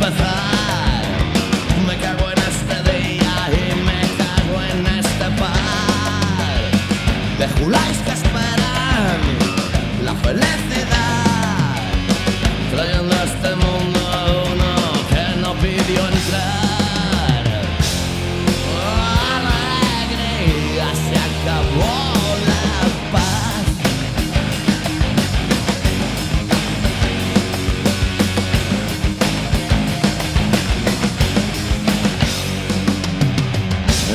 empezar. Me cago en este día y me cago en este par de juláis que esperan la felicidad, trayendo a este mundo a uno que no pidió entrar. Alegría, se acabó la paz.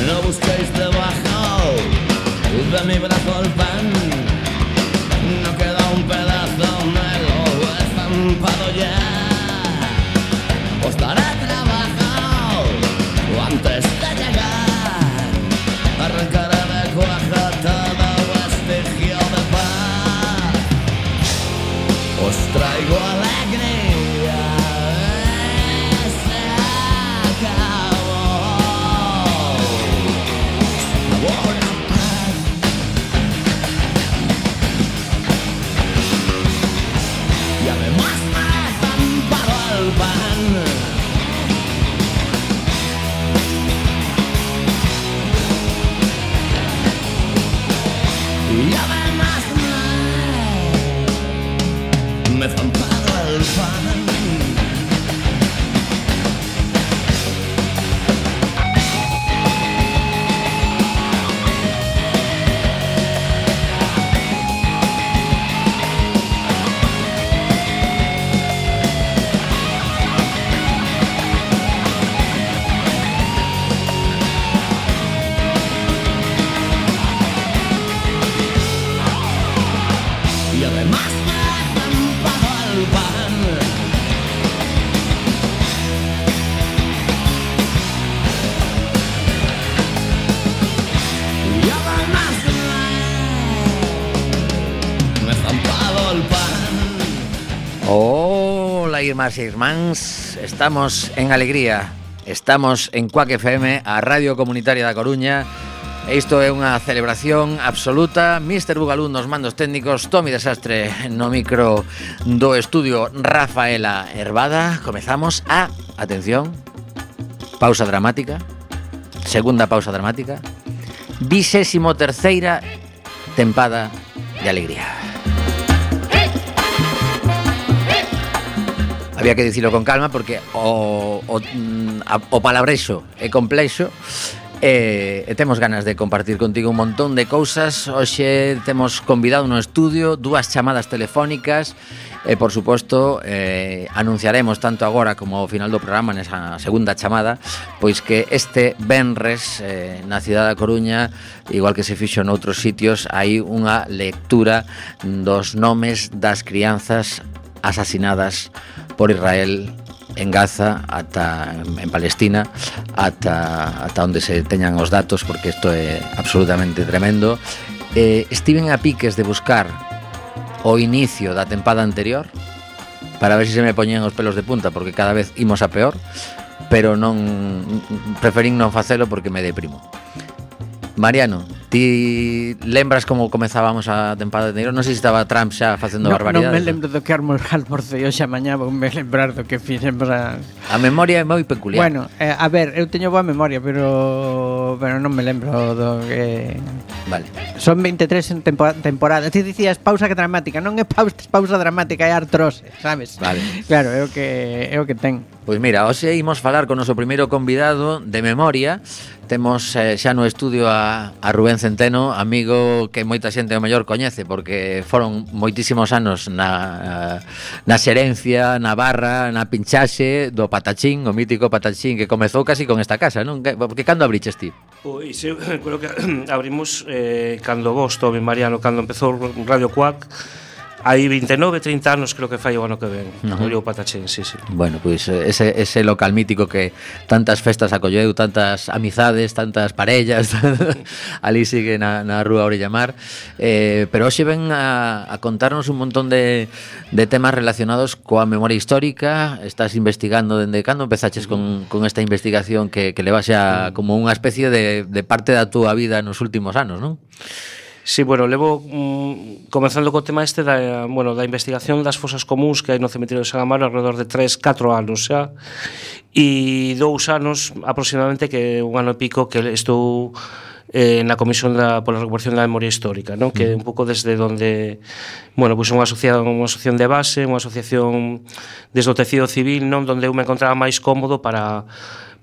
No busquéis debajo de mi brazo el pan, no queda un pedazo, me lo he estampado ya. Os daré trabajo antes de llegar, arrancaré de cuajo todo vestigio de paz. Os traigo alegría, se acabó. Y además me he estampado el pan. Y además me he estampado el pan. Y además me he estampado el pan. Y además me he estampado el pan. Hola, irmás e irmáns, estamos en alegría, estamos en Cuac FM, a Radio Comunitaria da Coruña. Isto é unha celebración absoluta. Mr. Bugalú nos mandos técnicos, Tomi Desastre no micro do estudio, Rafaela Hervada. Comezamos a, atención, pausa dramática, segunda pausa dramática, 23ª tempada de alegría. Había que dicilo con calma porque o palabrexo é complexo. E temos ganas de compartir contigo un montón de cousas. Hoxe temos convidado no estudio, dúas chamadas telefónicas e, por suposto, anunciaremos tanto agora como ao final do programa, nesa segunda chamada, pois que este venres na cidade da Coruña, igual que se fixo noutros sitios, hai unha lectura dos nomes das crianzas asasinadas por Israel en Gaza, ata en Palestina, ata onde se teñan os datos, porque isto é absolutamente tremendo. Estiven a piques de buscar o inicio da tempada anterior para ver se me poñían os pelos de punta, porque cada vez imos a peor, pero non preferín non facelo porque me deprimo. Mariano, ti lembras como comezábamos a tempada de enero? Non sei se estaba Trump xa facendo barbaridades. Non me lembro do que almorcei hoxe a mañá, vou me lembrar do que fixemos a memoria é moi peculiar. Bueno, a ver, eu teño boa memoria, pero non me lembro do que... Vale. Son 23 en temporada. Ti dicías pausa dramática, non é pausa dramática, é artrose, sabes? Vale. Claro, é o que ten. Pois mira, hoxe imos falar con o noso primeiro convidado de memoria. Temos xa no estudio a Rubén Centeno, amigo que moita xente o mellor coñece, porque foron moitísimos anos na xerencia, na barra, na pinchaxe do Patachín, o mítico Patachín, que comezou casi con esta casa, non? Porque cando abriches ti? Pois eu creo que abrimos cando vos, Tomi Mariano, cando empezou Radio Cuac. Hai 29, 30 anos creo que fai o ano que ven. Abriu Patachín, sí. Bueno, pois ese local mítico que tantas festas acolleu, tantas amizades, tantas parellas. Ali sigue na Rúa Orella Mar. Pero hoxe ven a contarnos un montón de temas relacionados coa memoria histórica. Estás investigando dende cando empezaches con esta investigación que leva xa como unha especie de parte da túa vida nos últimos anos, non? Sí, bueno, levo comenzando co tema este da investigación das fosas comuns que hai no cemiterio de San Amaro alrededor de 3-4 anos xa, e 2 anos aproximadamente, que un ano e pico que estou na Comisión pola Recuperación da Memoria Histórica, non? Que é un pouco desde onde, bueno, pois unha asociación de base, unha asociación desde o tecido civil, non? Donde eu me encontraba máis cómodo para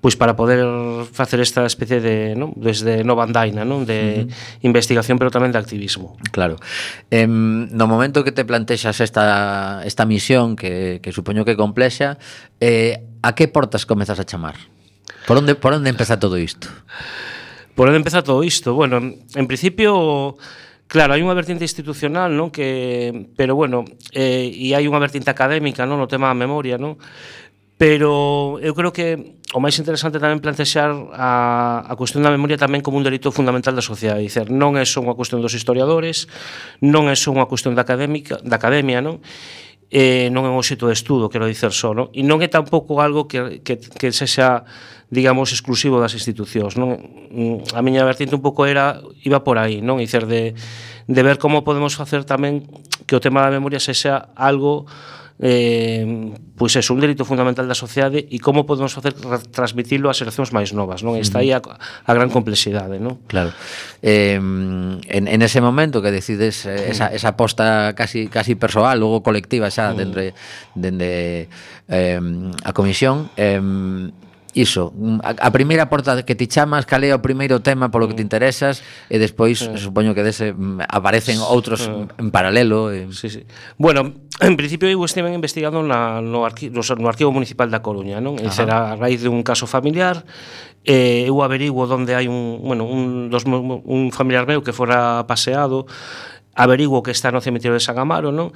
poder facer esta especie de, non? Desde nova andaina, non? De investigación, pero tamén de activismo. Claro. No momento que te plantexas esta misión, que supoño que é complexa, a que portas comezas a chamar? Por onde empeza todo isto? Por onde empeza todo isto? Bueno, en principio, claro, hai unha vertente institucional, non? Pero bueno, e hai unha vertente académica, non? No tema da memoria, non? Pero eu creo que o máis interesante tamén plantexar a cuestión da memoria tamén como un delito fundamental da sociedade. Dicer, non é só unha cuestión dos historiadores, non é só unha cuestión da academia, non? Non é un obxecto de estudo, quero dicer só, non? E non é tampouco algo que sexa, digamos, exclusivo das institucións, non? A miña vertente un pouco iba por aí, non? Dicer, de ver como podemos facer tamén que o tema da memoria sexa algo pois é un delito fundamental da sociedade, e como podemos facer transmitilo ás xeracións máis novas, non? Está aí a gran complexidade, non? Claro. En ese momento que decides esa aposta casi persoal, logo colectiva xa dende a comisión, iso, a primeira porta que ti chamas, cal é o primeiro tema polo que te interesas, e despois supoño que dese aparecen outros en paralelo. Sí. Bueno, en principio eu estive investigando no Arquivo Municipal da Coruña, non? E será a raíz de un caso familiar. Eu averiguo onde hai un familiar meu que fora paseado, averiguo que está no cemiterio de San Amaro, non?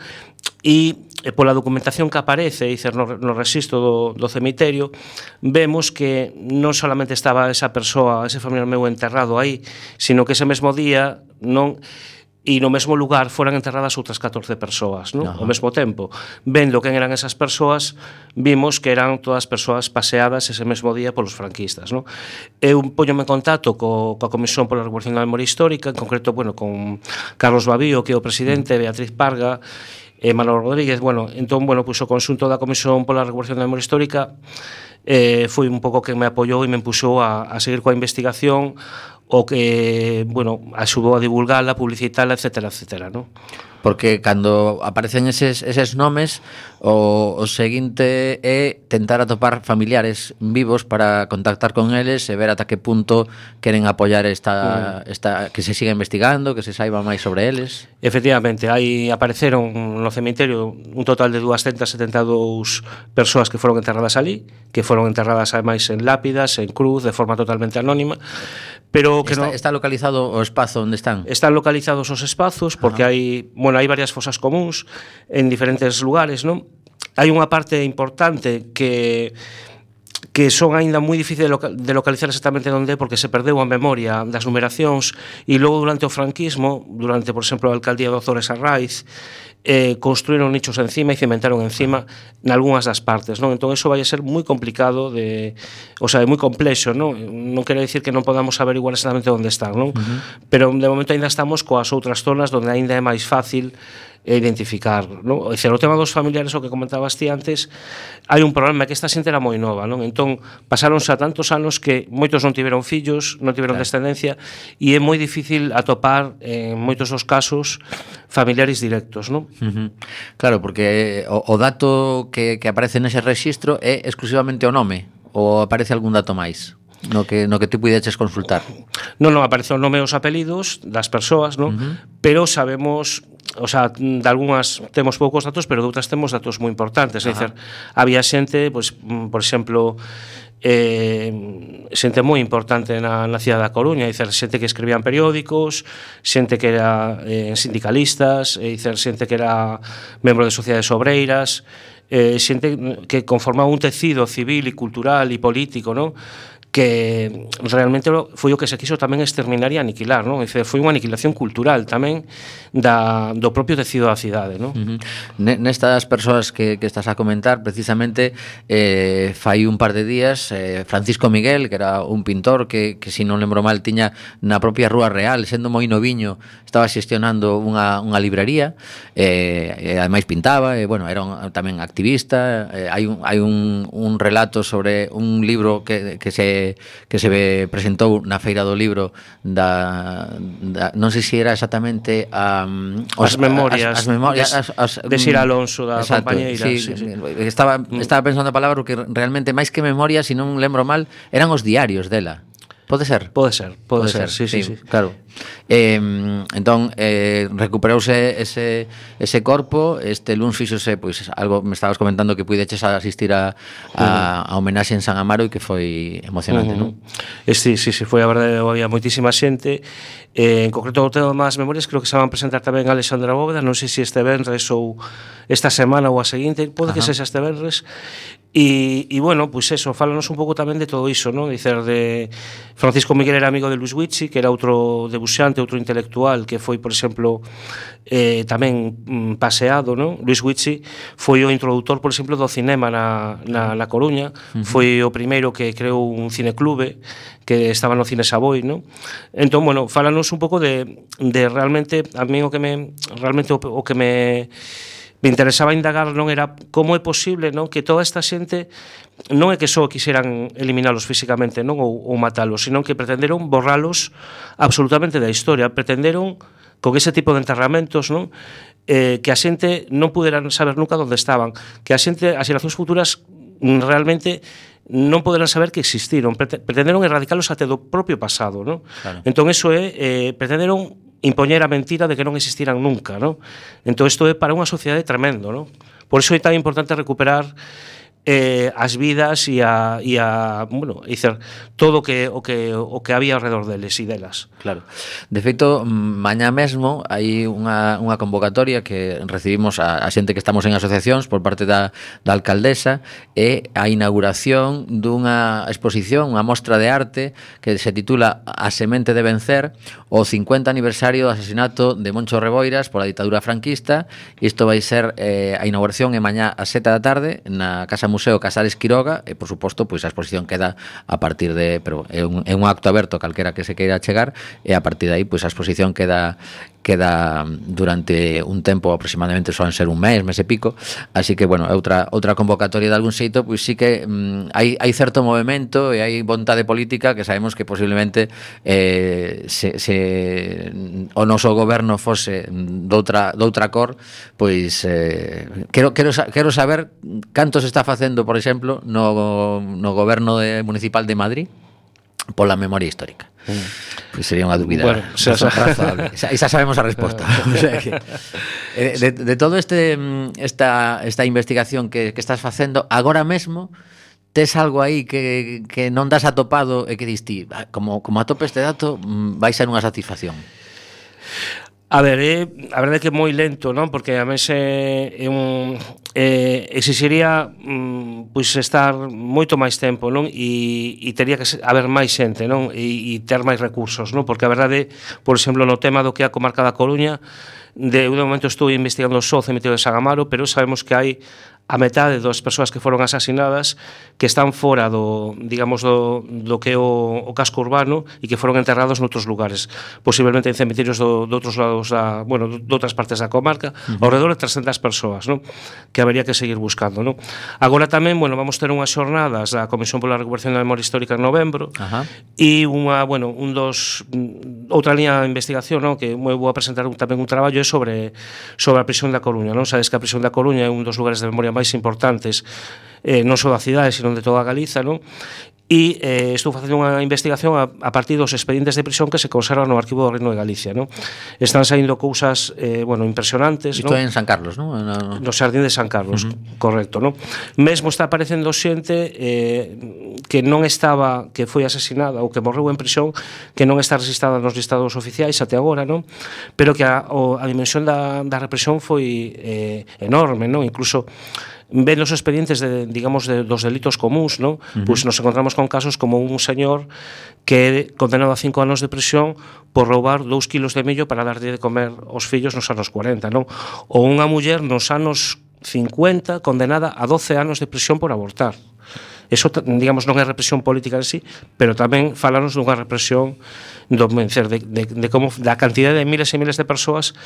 E pola documentación que aparece, no rexistro do cemiterio, vemos que non solamente estaba esa persoa, ese familiar meu enterrado aí, sino que ese mesmo día, non, e no mesmo lugar foran enterradas outras 14 persoas, non? Ao mesmo tempo. Vendo quen eran esas persoas, vimos que eran todas persoas paseadas ese mesmo día polos franquistas, non? Eu poñome en contacto coa Comisión pola Recuperación da Memoria Histórica, en concreto, con Carlos Babío, que é o presidente, Beatriz Parga, Manolo Rodríguez, entón, pois o conxunto da Comisión pola Recuperación da Memoria Histórica foi un pouco quen me apoiou e me empuxou a seguir coa investigación, o que, axudou a divulgala, a publicitala, etcétera, non? Porque cando aparecen eses nomes, o seguinte é tentar atopar familiares vivos para contactar con eles e ver ata que punto queren apoiar esta que se siga investigando, que se saiba máis sobre eles. Efectivamente, aí apareceron no cemiterio un total de 272 persoas que foron enterradas ali, que foron enterradas ademais en lápidas, en cruz, de forma totalmente anónima, pero que está localizado o espazo onde están? Están localizados os espazos, porque hai varias fosas comuns en diferentes lugares, non? Hai unha parte importante que son aínda moi difícil de localizar exactamente onde, porque se perdeu a memoria das numeracións, e logo durante o franquismo, durante, por exemplo, a alcaldía de Ozores Arraiz, construíron nichos encima e cimentaron encima nalgúnas das partes, non? Entón, iso vai a ser moi complicado é moi complexo, non? Non quere dicir que non podamos averiguar exactamente onde están, non? Pero de momento ainda estamos coas outras zonas onde ainda é máis fácil identificar, non? O tema dos familiares, o que comentabas ti antes, hai un problema, que esta xente era moi nova, non? Entón, pasaronse a tantos anos que moitos non tiveron fillos, non tiveron descendencia, e é moi difícil atopar, en moitos dos casos, familiares directos, non? Claro, porque o dato que aparece nese rexistro é exclusivamente o nome, ou aparece algún dato máis no que ti puideches consultar? Non, aparece o nome e os apelidos das persoas, non? Pero sabemos, de algunhas temos poucos datos, pero de outras temos datos moi importantes. É dicir, había xente, por exemplo, xente moi importante na cidade da Coruña, é dicir, xente que escribían periódicos, xente que era sindicalistas, é dicir, xente que era membro de sociedades obreiras, xente que conformaba un tecido civil e cultural e político, non? que realmente foi o que se quiso tamén exterminar e aniquilar, non? Foi unha aniquilación cultural tamén do propio tecido da cidade, non? Nestas persoas que estás a comentar, precisamente fai un par de días Francisco Miguel, que era un pintor que se non lembro mal tiña na propia Rúa Real, sendo moi noviño, estaba xestionando unha librería, e ademais pintaba, bueno, era tamén activista. Hai un relato sobre un libro que se presentou na Feira do Libro non sei se era exactamente as memorias de Sir Alonso da compañeira. Sí. Estaba pensando a palabra que realmente máis que memoria, se non lembro mal, eran os diarios dela. Pode ser, sí. Claro. Entón recuperouse ese corpo. Este luns fixose, pois algo me estabas comentando que puideches asistir a homenaxe en San Amaro e que foi emocionante, non? Sí, foi a verdade, había moitísima xente. En concreto o tema das memorias creo que se van a presentar tamén a Alexandra Bóveda, non sei se este venres ou esta semana ou a seguinte, pode que sexa este venres. E bueno, pois eso, fálanos un pouco tamén de todo iso, non? Dicer, de Francisco Miguel era amigo de Luis Guicci, que era outro debuxante, outro intelectual que foi, por exemplo, tamén paseado, non? Luis Guicci foi o introductor, por exemplo, do cinema na Coruña, foi o primeiro que creou un cineclube que estaba no Cine Savoy, non? Entón, bueno, fálanos un pouco de realmente, a mí o que me interesaba indagar non era como é posible, non, que toda esta xente non é que só quixeran eliminalos físicamente, non, ou matalos, sino que pretenderon borralos absolutamente da historia, pretenderon con ese tipo de enterramentos, non, que a xente non puderan saber nunca onde estaban, que as xeracións futuras realmente non poderán saber que existiron, pretenderon erradicalos até do propio pasado, non? Claro. Entón, eso pretenderon impoñer a mentira de que non existiran nunca, non? Entón, isto é para unha sociedade tremendo, non? Por iso é tan importante recuperar as vidas e bueno, dicer, todo o que había alrededor deles e delas. Claro. De feito, mañá mesmo hai unha convocatoria que recibimos a xente que estamos en asociacións por parte da alcaldesa, e a inauguración dunha exposición, unha mostra de arte que se titula A semente de vencer, o 50 aniversario do asasinato de Moncho Reboiras pola ditadura franquista. Isto vai ser a inauguración é mañá ás 7 da tarde na Casa Museo Casares Quiroga, e por suposto, pois a exposición queda a partir de, pero é un acto aberto calquera que se queira chegar, e a partir de aí, pois a exposición queda durante un tempo, aproximadamente soan ser un mes e pico, así que, bueno, outra convocatoria de algún xeito, pois sí que hai certo movemento e hai vontade política que sabemos que posiblemente se o noso goberno fose doutra cor, pois quero saber canto se está facendo, por exemplo, no goberno municipal de Madrid pola memoria histórica. Pois sería unha dúbida, bueno, razonable. Xa sabemos a resposta. O sea que, de todo esta investigación que estás facendo agora mesmo, tes algo aí que non das atopado e que diste, como atope este dato, vai ser unha satisfacción? A ver, a verdade é que é moi lento, non? Porque a mes exixiría pois estar moito máis tempo, non? E teria que haber máis xente, non? E ter máis recursos, non? Porque a verdade, por exemplo, no tema do que é a comarca da Coruña, de momento estou investigando só o cemiterio de San Amaro, pero sabemos que hai a metade das persoas que foron asasinadas que están fora do que é o casco urbano e que foron enterrados noutros lugares, posiblemente en cemiterios de outros lados de outras partes da comarca, ao redor de 300 persoas, non? Que habería que seguir buscando, non? Agora tamén, bueno, vamos ter unhas xornadas da Comisión pola Recuperación da Memoria Histórica en novembro, e outra liña de investigación, non? Que vou a presentar tamén un traballo é sobre a prisión da Coruña, non? Sabes que a prisión da Coruña é un dos lugares de memoria máis importantes, non só da cidade, sino de toda a Galiza, non? E estou facendo unha investigación a partir dos expedientes de prisión que se conservan no Arquivo do Reino de Galicia, non? Están saindo cousas, impresionantes, non? Isto é en San Carlos, non? No Xardín de San Carlos, correcto, non? Mesmo está aparecendo xente que non estaba, que foi asesinada ou que morreu en prisión, que non está registrada nos listados oficiais até agora, non? Pero que a dimensión da represión foi enorme, non? Incluso vendo os expedientes dos delitos comuns, non? Pois nos encontramos con casos como un señor que é condenado a 5 anos de prisión por roubar 2 kilos de millo para darlle de comer aos fillos nos anos 40, non? Ou unha muller nos anos 50 condenada a 12 anos de prisión por abortar. Eso, digamos, non é represión política en sí, pero tamén falanos dunha represión de como da cantidad de miles e miles de persoas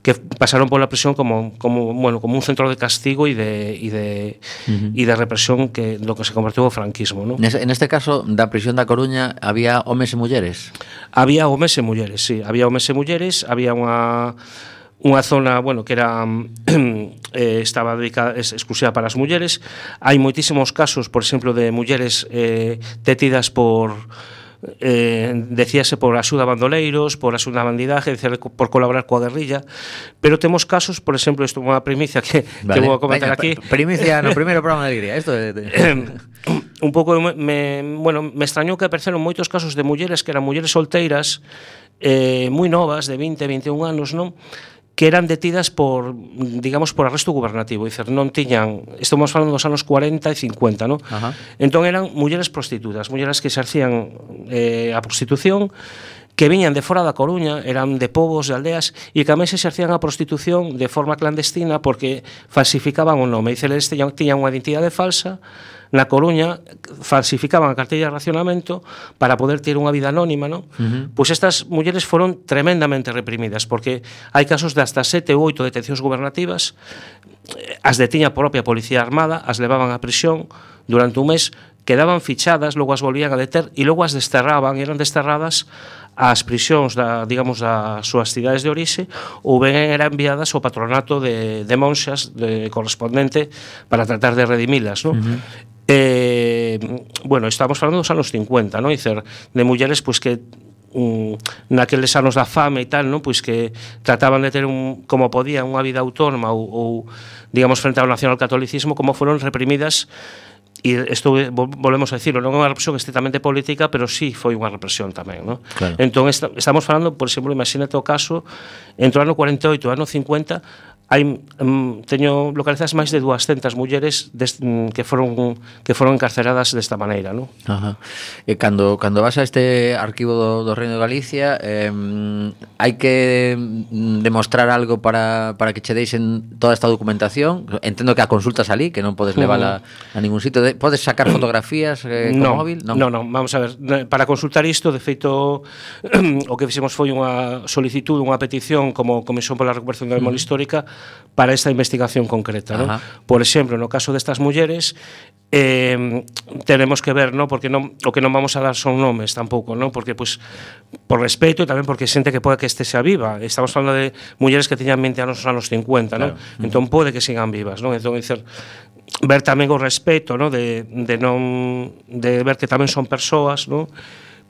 que pasaron pola prisión como un centro de castigo e de represión que do que se convertiu o franquismo, non? En este caso, da prisión da Coruña, había homes e mulleres? Había homes e mulleres, sí. Había homes e mulleres, había unha zona, que era estaba dedicada exclusiva para as mulleres. Hai moitísimos casos, por exemplo, de mulleres detidas por decíase por axuda a bandoleiros, por axuda a bandidaje, por colaborar coa guerrilla, pero temos casos, por exemplo, isto é unha primicia que vou a comentar aquí. Primicia no primeiro programa de Alegría. Isto un pouco me extrañou que apareceron moitos casos de mulleres que eran mulleres solteiras moi novas, de 20, 21 anos, non? Que eran detidas por arresto gubernativo, dicer, non tiñan, estamos falando dos anos 40 e 50, non? Entón eran mulleres prostitutas, mulleres que exercían a prostitución, que viñan de fora da Coruña, eran de povos, de aldeas, e que a se exercían a prostitución de forma clandestina porque falsificaban o nome. Dice, eles tiñan unha identidade falsa na Coruña, falsificaban a cartilla de racionamento para poder ter unha vida anónima, non? Pois estas mulleres foron tremendamente reprimidas, porque hai casos de hasta 7 ou 8 detencións gubernativas, as detiña a propia Policía Armada, as levaban a prisión durante un mes, quedaban fichadas, logo as volvían a deter e logo as desterraban, e eran desterradas ás prisións das súas cidades de orixe, ou ben eran enviadas ao patronato de monxas correspondente para tratar de redimilas, non? Estamos falando dos anos 50, non? Dicer, de mulleres pois que naqueles anos da fame e tal, non? Pois que trataban de ter como podían unha vida autónoma ou digamos frente ao nacionalcatolicismo, como foron reprimidas. E isto volvemos a dicirlo, non é unha represión estritamente política, pero sí foi unha represión tamén, non? Claro. Entón estamos falando, por exemplo, imagínate o caso entre o ano 48 e o ano 50 teño localizadas máis de 200 mulleres que foron encarceradas desta maneira, non? E cando vas a este arquivo do Reino de Galicia, hai que demostrar algo para que che deixen toda esta documentación. Entendo que a consultas ali, que non podes levala a ningún sitio. Podes sacar fotografías con móvil? Non, vamos a ver, para consultar isto, de feito o que fixemos foi unha solicitud, unha petición como Comisión pola Recuperación da Memoria Histórica para esta investigación concreta, non? Por exemplo, no caso destas mulleres tenemos que ver, non? Porque o que non vamos a dar son nomes tampouco, non? Porque pois por respeto e tamén porque xente que pode que este sea viva. Estamos falando de mulleres que teñan 20 anos nos anos 50, non? Entón pode que sigan vivas, non? Entón, dicer, ver tamén o respeto, non? De ver que tamén son persoas, non?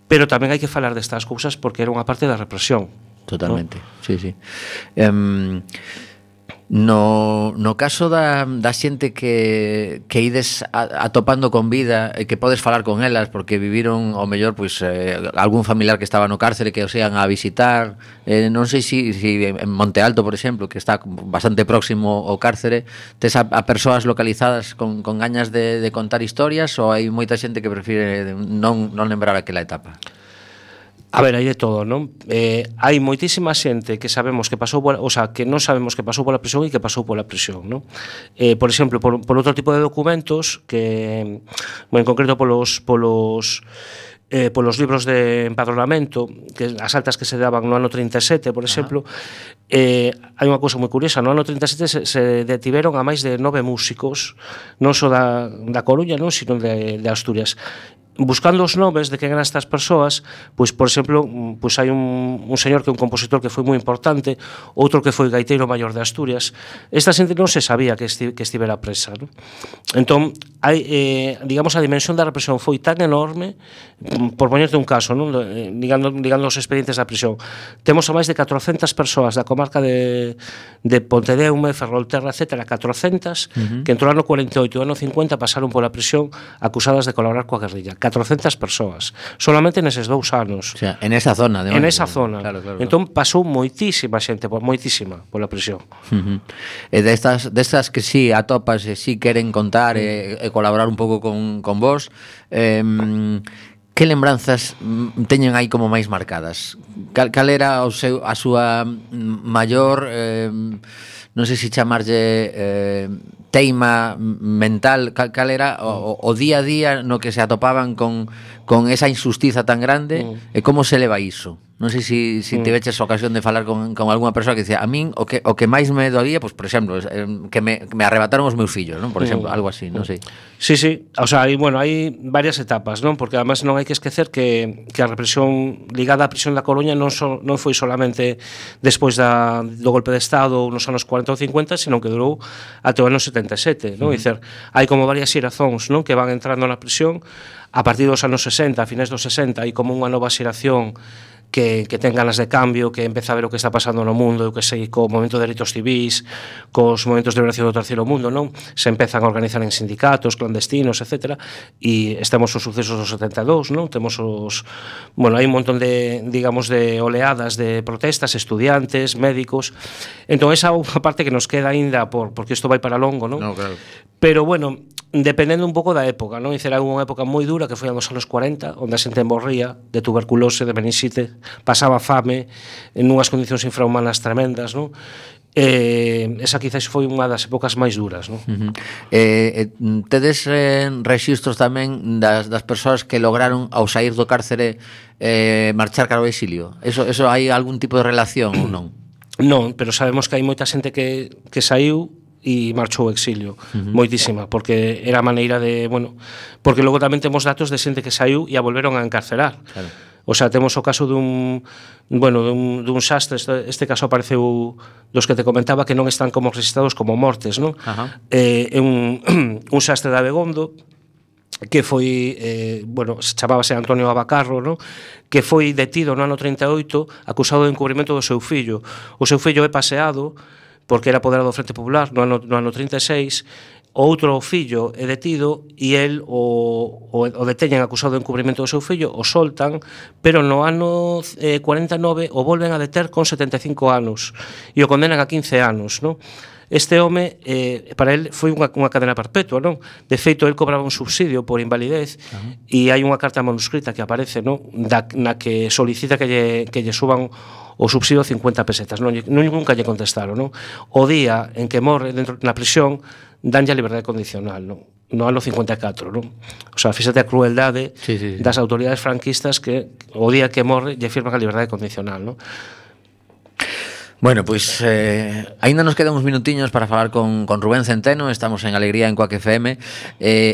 Pero tamén hai que falar destas cousas porque era unha parte da represión. Totalmente, ¿no? Sí. No caso da xente que ides atopando con vida e que podes falar con elas porque viviron ao mellor pois algún familiar que estaba no cárcere que os ian a visitar, non sei se en Monte Alto, por exemplo, que está bastante próximo ao cárcere, tes a persoas localizadas con gañas de contar historias, ou hai moita xente que prefire non lembrar aquela etapa? A ver, hai de todo, non? Hai moitísima xente que sabemos que pasou que non sabemos que pasou pola prisión e que pasou pola prisión, non? Por exemplo, por outro tipo de documentos que, en concreto polos libros de empadronamento, que as altas que se daban no ano 37, por exemplo, hai unha cousa moi curiosa. No ano 37 se detiveron a máis de 9 músicos, non só da Coruña, non, sino de Asturias. Buscando os nomes de quen eran estas persoas, pois, por exemplo, pois hai un señor que é un compositor que foi moi importante, outro que foi gaiteiro maior de Asturias. Esta xente non se sabía que estivera presa, non? Entón, digamos, a dimensión da represión foi tan enorme, por poñerte un caso, non? Ligando os expedientes da prisión. Temos a máis de 400 persoas da comarca de Pontedeume, Ferrolterra, etc., 400, que entre o ano 48 e o ano 50 pasaron pola prisión acusadas de colaborar coa guerrilla. 400 persoas, solamente neses 2 anos. O sea, en esa zona, En esa zona. Claro. Entón pasou moitísima xente, moitísima pola prisión. E destas que sí atopas e sí queren contar e colaborar un pouco con vos, que lembranzas teñen aí como máis marcadas? Cal era a súa maior, non sei se chamarlle teima mental, cal era o día a día no que se atopaban con esa injustiza tan grande e como se leva iso? Non sei se tiveches ocasión de falar con algunha persoa que dicía, a min o que máis me doía, pues, por exemplo, que me arrebataron os meus fillos, non? Por exemplo, algo así, non sei. Sí, o sea, hai varias etapas, non? Porque además non hai que esquecer que a represión ligada á prisión da Coruña non foi solamente despois do golpe de Estado nos anos 40 ou 50, senón que durou até o ano 77, non? Dicer, hai como varias xerazóns, non? Que van entrando na prisión a partir dos anos 60, a finais dos 60, hai como unha nova xeración que ten ganas de cambio, que empeza a ver o que está pasando no mundo, eu que sei, co momento de dereitos civis, cos momentos de liberación do terceiro mundo, non? Se empezan a organizar en sindicatos, clandestinos, etc. E estamos os sucesos dos 72, non? Temos hai un montón de, digamos, de oleadas de protestas, estudiantes, médicos. Entón, esa é unha parte que nos queda aínda porque isto vai para longo, non? No, claro. Pero, bueno, dependendo un pouco da época, non? Era unha época moi dura que foi nos anos 40, onde a xente morría de tuberculose, de meningite, pasaba fame en unhas condicións infrahumanas tremendas, non? Esa quizás foi unha das épocas máis duras, non? Tedes rexistros tamén das persoas que lograron ao sair do cárcere marchar cara ao exilio? Eso hai algún tipo de relación ou non? Non, pero sabemos que hai moita xente que saiu e marchou ao exilio, moitísima, porque era a maneira de, porque logo tamén temos datos de xente que saiu e a volveron a encarcerar. Claro. O sea, temos o caso dun xastre, este caso apareceu dos que te comentaba que non están como registrados como mortes, non? Un xastre de Abegondo que foi, chamábase Antonio Abacarro, non? Que foi detido no ano 38 acusado de encubrimento do seu fillo. O seu fillo é paseado porque era apoderado do Frente Popular no ano 36. Outro fillo é detido e el o deteñen acusado de encubrimento do seu fillo, o soltan, pero no ano 49 o volven a deter con 75 anos e o condenan a 15 anos, non? Este home, para el, foi unha cadena perpetua, non? De feito, el cobraba un subsidio por invalidez e hai unha carta manuscrita que aparece, non? Na que solicita que lle suban o subsidio 50 pesetas, nunca lle contestaron, non? O día en que morre dentro na prisión danlle a liberdade condicional, non? No ano 54, non? O sea, fíxate a crueldade das autoridades franquistas que o día que morre lle firman a liberdade condicional, non? Bueno, pois aínda nos quedan uns minutiños para falar con Rubén Centeno. Estamos en Alegría en Coac FM.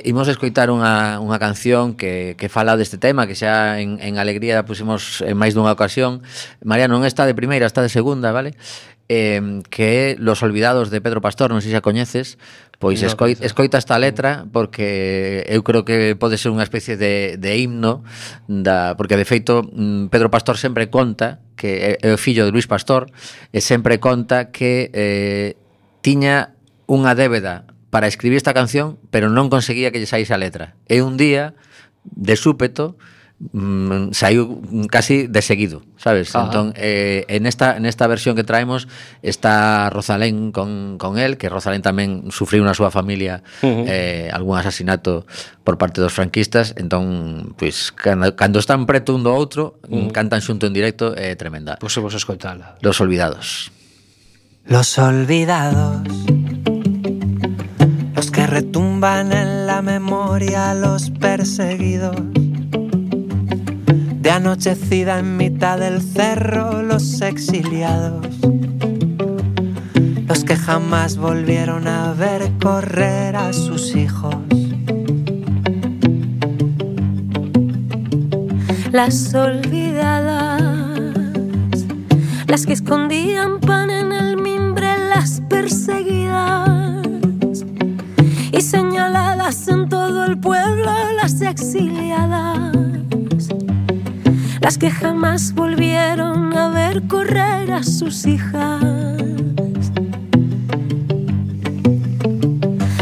Imos escoitar unha canción que fala deste tema, que xa en Alegría pusimos en máis dunha ocasión. María non está de primeira, está de segunda, vale? Que é Los Olvidados de Pedro Pastor, non sei se a coñeces. Pois escoita esta letra porque eu creo que pode ser unha especie de himno porque de feito Pedro Pastor sempre conta que é o fillo de Luis Pastor e sempre conta que tiña unha débeda para escribir esta canción pero non conseguía que lle saíse a letra e un día de súpeto saiu casi de seguido, sabes? Entón, en esta versión que traemos está Rosalén con él, que Rosalén tamén sufriu na súa familia algún asasinato por parte dos franquistas, entón, pois, cando están preto un do outro, cantan xunto en directo, é tremenda. Pois vos escoitala. Los Olvidados. Los olvidados, los que retumban en la memoria, los perseguidos. De anochecida en mitad del cerro, los exiliados, los que jamás volvieron a ver correr a sus hijos. Las olvidadas, las que escondían pan en el mimbre, las perseguidas y señaladas en todo el pueblo, las exiliadas. Las que jamás volvieron a ver correr a sus hijas.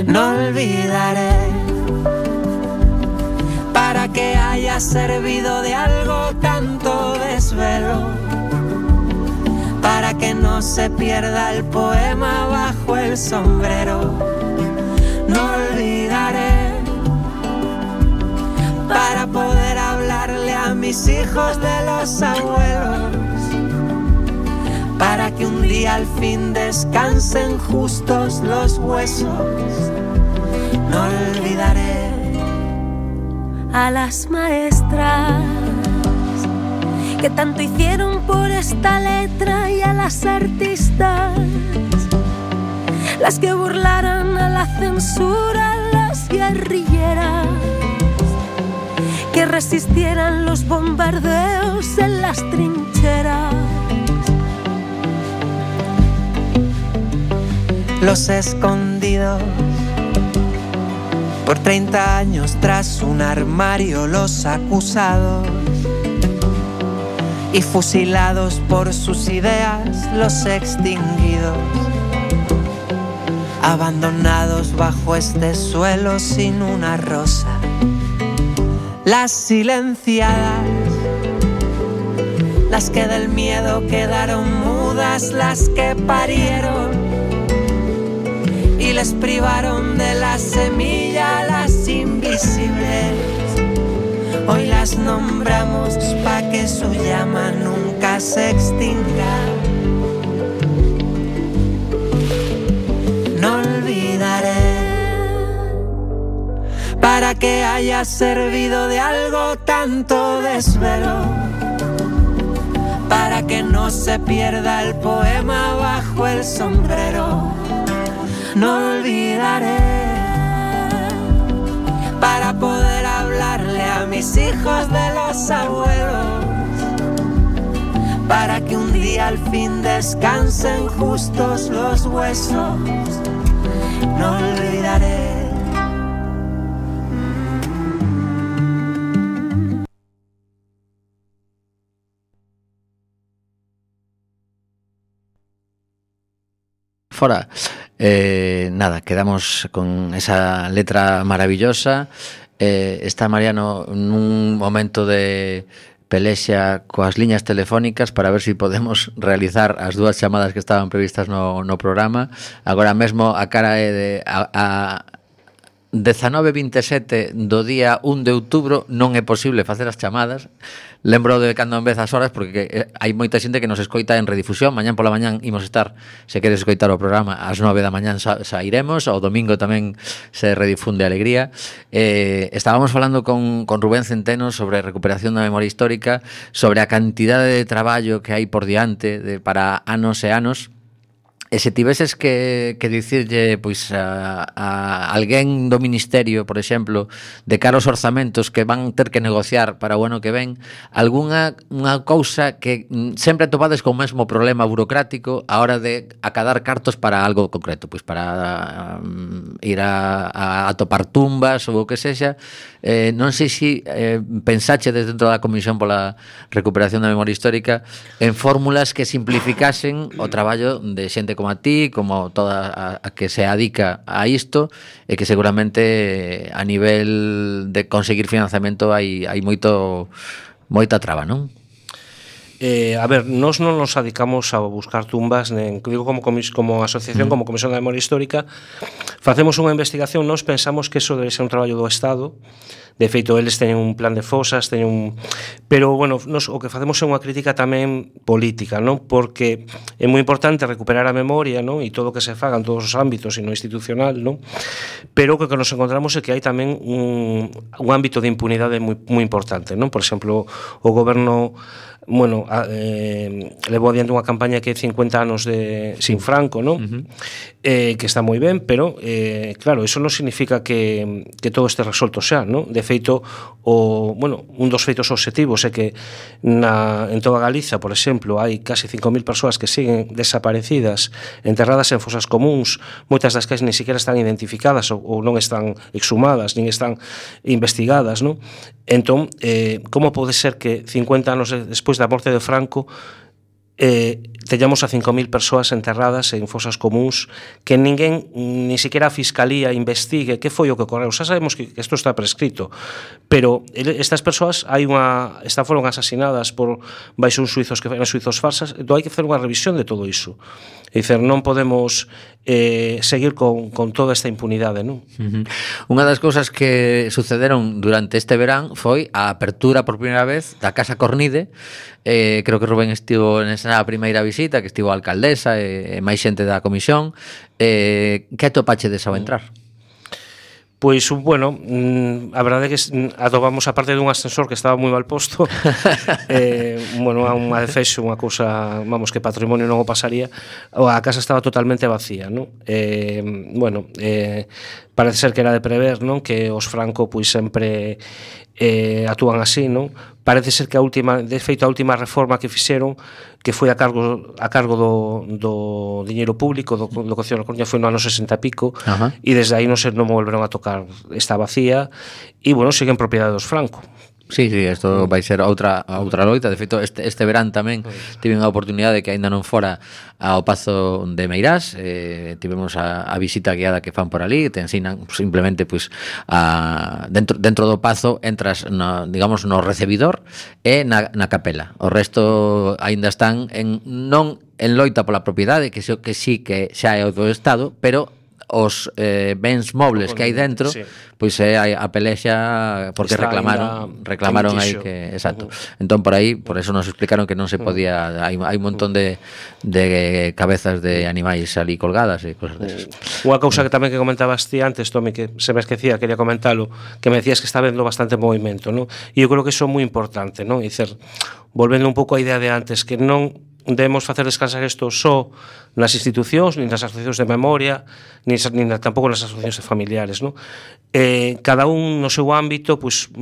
No olvidaré para que haya servido de algo tanto desvelo, para que no se pierda el poema bajo el sombrero. No olvidaré, para poder hablarle a mis hijos de los abuelos, para que un día al fin descansen justos los huesos. No olvidaré a las maestras que tanto hicieron por esta letra, y a las artistas, las que burlaron a la censura, las guerrilleras que resistieran los bombardeos en las trincheras. Los escondidos por 30 años tras un armario, los acusados y fusilados por sus ideas, los extinguidos, abandonados bajo este suelo sin una rosa. Las silenciadas, las que del miedo quedaron mudas, las que parieron y les privaron de la semilla, las invisibles. Hoy las nombramos pa' que su llama nunca se extinga. No olvidaré, para que haya servido de algo tanto desvelo, para que no se pierda el poema bajo el sombrero. No olvidaré, para poder hablarle a mis hijos de los abuelos, para que un día al fin descansen justos los huesos. No olvidaré. Fora, nada, quedamos con esa letra maravillosa. Está Mariano nun momento de pelexa coas liñas telefónicas para ver se podemos realizar as dúas chamadas que estaban previstas no programa. Agora mesmo a cara é de a 19:27 do día 1 de outubro non é posible facer as chamadas. Lembro de cando en vez as horas, porque hai moita xente que nos escoita en redifusión. Mañán pola mañán imos estar, se queres escoitar o programa, ás 9 da mañán sairemos. O domingo tamén se redifunde Alegría. Estábamos falando con Rubén Centeno sobre recuperación da memoria histórica, sobre a cantidade de traballo que hai por diante para anos e anos. E se tiveses que dicirlle pois a alguén do Ministerio, por exemplo, de cara aos orzamentos que van ter que negociar para o ano que ven, unha cousa que sempre topades con o mesmo problema burocrático a hora de acadar cartos para algo concreto, pois para ir a topar tumbas ou o que sexa. Non sei se pensachedes dentro da Comisión pola Recuperación da Memoria Histórica en fórmulas que simplificasen o traballo de xente como a ti, como toda a que se adica a isto, e que seguramente a nivel de conseguir financiamento hai moita traba, non? A ver, nós non nos adicamos a buscar tumbas, digo como asociación, como Comisión da Memoria Histórica, facemos unha investigación. Nós pensamos que eso debe ser un traballo do Estado. De feito, eles teñen un plan de fosas, pero, bueno, nos o que facemos é unha crítica tamén política, non? Porque é moi importante recuperar a memoria, non? E todo o que se faga en todos os ámbitos e no institucional, non? Pero o que nos encontramos é que hai tamén un ámbito de impunidade moi importante, non? Por exemplo, o goberno levou adiante unha campaña que é 50 anos sin Franco, non? Que está moi ben, pero claro, eso non significa que todo este resolto xa, non? De feito, un dos feitos obxectivos é que en toda Galiza, por exemplo, hai case 5.000 persoas que siguen desaparecidas, enterradas en fosas comuns, moitas das que nin siquiera están identificadas ou non están exhumadas, nin están investigadas, non? Entón, como pode ser que 50 anos despois da morte de Franco teñamos a 5.000 persoas enterradas en fosas comuns, que ninguén, ni siquiera a Fiscalía investigue que foi o que ocorreu. Xa sabemos que isto está prescrito, pero estas persoas foron asasinadas por baixo uns suizos que eran suizos farsas, entón hai que facer unha revisión de todo iso. É dicir, non podemos seguir con toda esta impunidade, non? Unha das cousas que sucederon durante este verán foi a apertura por primeira vez da Casa Cornide. Creo que Rubén estivo nesa primeira visita, que estivo a alcaldesa e máis xente da comisión. Que atopachedes ao entrar? Pois, bueno, a verdade é que atopamos a parte dun ascensor que estaba moi mal posto. Bueno, a unha defexo, unha cousa, vamos, que patrimonio non o pasaría. A casa estaba totalmente vacía, non? Bueno, parece ser que era de prever, non? Que os Franco, pois, sempre actúan así, non? Parece ser que de feito a última reforma que fixeron, que foi a cargo do diñeiro público do Concello da Coruña, foi no ano 60 e pico, e desde aí non volveron a tocar, está vacía, e, bueno, sigue en propiedade dos Franco. Sí, isto vai ser outra loita. De feito, este verán tamén tive unha oportunidade que aínda non fora ao Pazo de Meirás. Tivemos a visita guiada que fan por ali, te ensinan simplemente pois dentro do Pazo entras digamos no recibidor e na capela. O resto aínda están non en loita pola propiedade, que sí que xa é o do Estado, pero os bens mobles que hai dentro, sí, pois é a pelexa porque reclamaron aí que, exacto. Entón por eso nos explicaron que non se podía, hai un montón de cabezas de animais ali colgadas e cosas desas. Unha cousa que tamén que comentabas ti antes, Tomi, que se me esquecía, quería comentalo, que me decías que está vendo bastante movimento, non? E eu creo que iso é moi importante, non? E dicer, volvendo un pouco á idea de antes, que non debemos facer descansar isto só nas institucións, nin nas asociacións de memoria, nin tampouco nas asociacións de familiares, non? Cada un no seu ámbito, pois,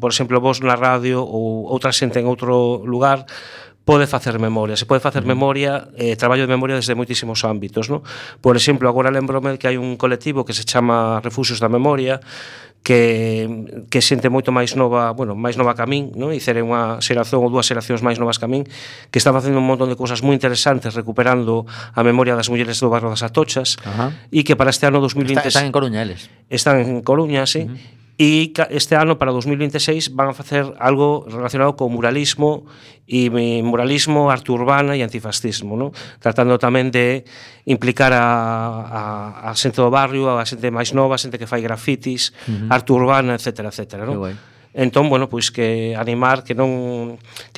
por exemplo, vos na radio ou outra xente en outro lugar, pode facer memoria. Se pode facer memoria, traballo de memoria desde moitísimos ámbitos, non? Por exemplo, agora lembrome que hai un colectivo que se chama Refuxios da Memoria, que xente moito máis nova, bueno, máis nova que a min, non? E cere unha xeración ou dúas xeracións máis novas que a min, que están facendo un montón de cousas moi interesantes recuperando a memoria das mulleres do barrio das Atochas, e que para este ano 2020 están en Coruña eles. Están en Coruña, sí. E este ano, para 2026, van a facer algo relacionado con muralismo arte urbana e antifascismo, non? Tratando tamén de implicar a xente do barrio, a xente máis nova, a xente que fai grafitis, arte urbana, etcétera, non? Entón, bueno, pois que animar que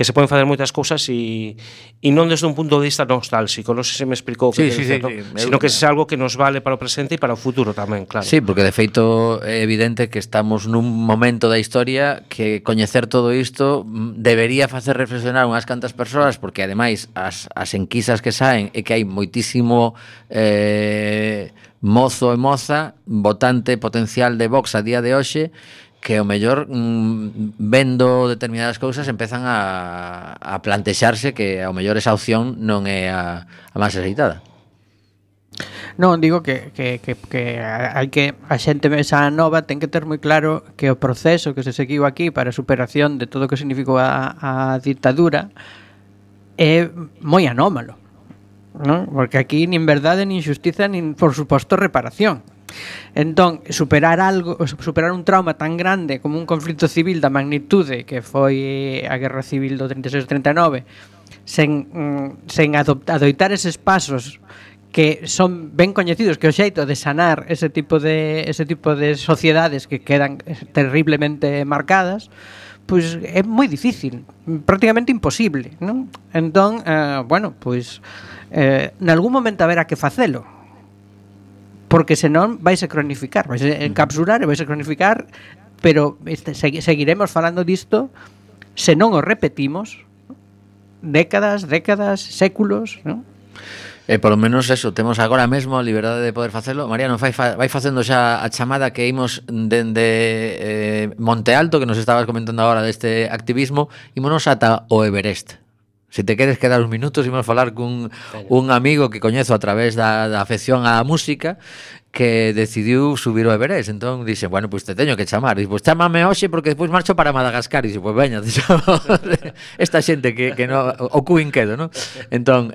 se poden facer moitas cousas e non desde un punto de vista nostálxico, non sei se me explicou que sino que é algo que nos vale para o presente e para o futuro tamén, claro. Sí, porque de feito é evidente que estamos nun momento da historia que coñecer todo isto debería facer reflexionar unhas cantas persoas, porque ademais as enquisas que saen é que hai moitísimo mozo e moza votante potencial de Vox a día de hoxe, que o mellor vendo determinadas cousas empezan a plantexarse que ao mellor esa opción non é a máis aceitada. Non, digo que hai que a xente esa nova ten que ter moi claro que o proceso que se seguiu aquí para a superación de todo o que significou a ditadura é moi anómalo, non? Porque aquí nin verdade, nin xustiza, nin, por suposto, reparación. Entón, superar un trauma tan grande como un conflito civil da magnitude que foi a Guerra Civil do 36-39 sen adoitar eses pasos que son ben coñecidos, que o xeito de sanar ese tipo de sociedades que quedan terriblemente marcadas, pois é moi difícil, prácticamente imposible, non? Entón, bueno, pois nalgún momento haberá que facelo, porque senón vaise cronificar, vaise encapsular e vaise cronificar, pero seguiremos falando disto se non o repetimos décadas, séculos, non? E polo menos eso, temos agora mesmo a liberdade de poder facelo. Mariano, vai facendo xa a chamada que imos dende Monte Alto, que nos estabas comentando agora deste activismo, ímonos ata o Everest. Se te queres quedar uns minutos, imos falar cun amigo que coñezo a través da afección á música, que decidiu subir ao Everest. Entón dixe, bueno, pois te teño que chamar. Dixe, pois chámame hoxe porque despois marcho para Madagascar. Dixe, pois veña, te chamo esta xente que no, o cu inquedo, non? Entón,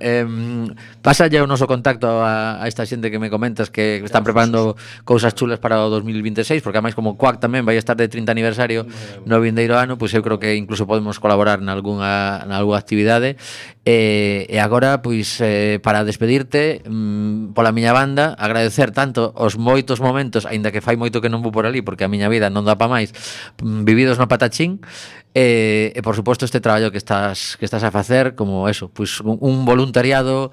pásalle o noso contacto a esta xente que me comentas que están preparando cousas chulas para o 2026, porque ademais como Quack tamén vai estar de 30 aniversario no vindeiro ano, pois eu creo que incluso podemos colaborar nalgúna actividade. E agora, pois, para despedirte, pola miña banda, agradecer tanto os moitos momentos, aínda que fai moito que non vou por ali, porque a miña vida non dá pa máis, vividos no Patachín, e por suposto este traballo que estás a facer, como eso, pois un voluntariado